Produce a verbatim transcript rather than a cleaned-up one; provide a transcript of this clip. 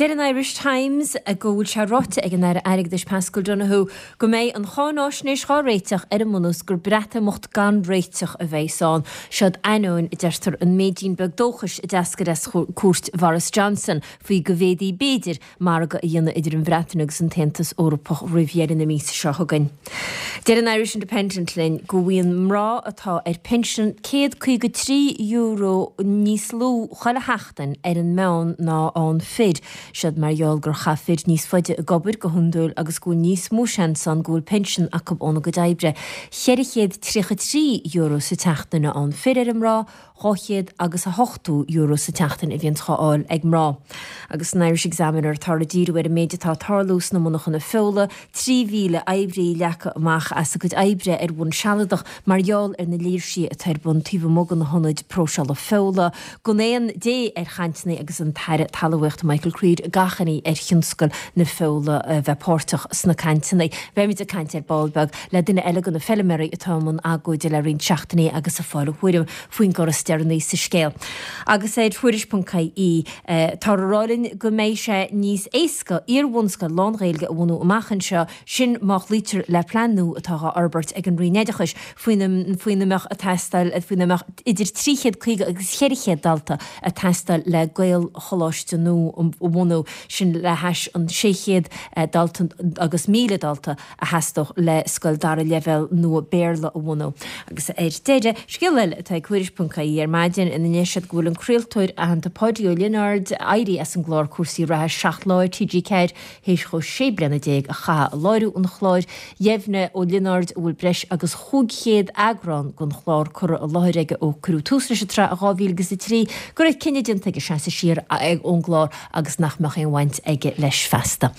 Deir an Irish Times go bhfuil sé ráite ag an Aire Airgeadais Paschal Donohoe go mbeidh an cháinaisnéis dhá réiteach ar an mbunús gur Breatimeacht gan réiteach a bheas ann. Seod ainneoin a deirtear an méidín beag dóchais a d'eascair as cuairt Boris Johnson faoi go bhféadfaí b'fhéidir margadh a dhéanamh idir an Bhreatain agus an tAontas Eorpach roimh dheireadh na míosa seo chugainn. Deir an Irish Independent linn go bhfaigheann mná atá ar pinsean céad caoga trí euro níos lú chuile sheachtain ar an meán ná an fir. Siad mar gheall gur chaith fir níos faide ag obair go hiondúil agus go bhfuil níos mó seans ann go bhfuil pinsean acu óna gcuid oibre. Ceithre chéad tríocha trí euro sa tseachtain a fhaigheann fir ar an mná, dhá chéad agus a hochtó euro sa tseachtain a bhíonn á fháil ag mná. Agus san Irish Examiner tá ag díriú ar an méid atá ag tarlú sna monarchana feola, trí mhíle oibrí leagtha amach as a gcuid oibre ar bhonn sealadach mar gheall ar na léirsithe atá ar bun taobh amuigh de na hionaid próiseála feola, gan aon dé ar chainteanna agus an tAire Talmhaíochta Michael Creed ag achainí ar thionscal na feola a bheith páirteach sna cainteanna. Beimid ag caint ar ball beag le duine eile de na feilméaraí atá i mbun agóide le roinnt seachtainí agus ag fáil a thuairim faoin gcor is deireanaí sa scéal. Agus ar Tuairisc.ie tá a rá linn go mbeidh sé níos éasca iar-bhunscoil lán-Ghaeilge a bhunú amach anseo, sin má chloítear le plean nua atá á fhorbairt ag an Roinn Oideachais faoina faoina mbeadh ag teastáil faoina mbeadh idir trí chéad caoga agus ceithre chéad dalta ag teastáil le Gaelcholáiste nua a bhunú, sin le hais an sé chéad dalta agus míle dalta a theastódh le scoil dara leibhéal nua Béarla a bhunú. Agus ar deireadh, scéal eile atá ag Tuairisc.ie ar maidin ina ndeir siad go bhfuil an craoltóir aitheanta Páidí Ó Lionáird éirithe as an gclár Cúrsaí Reatha Seacht Lá ar TG Ceathair théis dhó sé bliana déag a chaitheamh ag láithriú an chláir. Dheimhnigh Ó Lionáird, a bhfuil breis agus chúig chéad eagrán den chlár curtha i láthair aige ó cuireadh tús leis an tsraith i dhá mhíle agus a trí, go raibh cinneadh déanta aige seasamh siar ón gclár agus nach mbeadh aon bhaint aige leis feasta.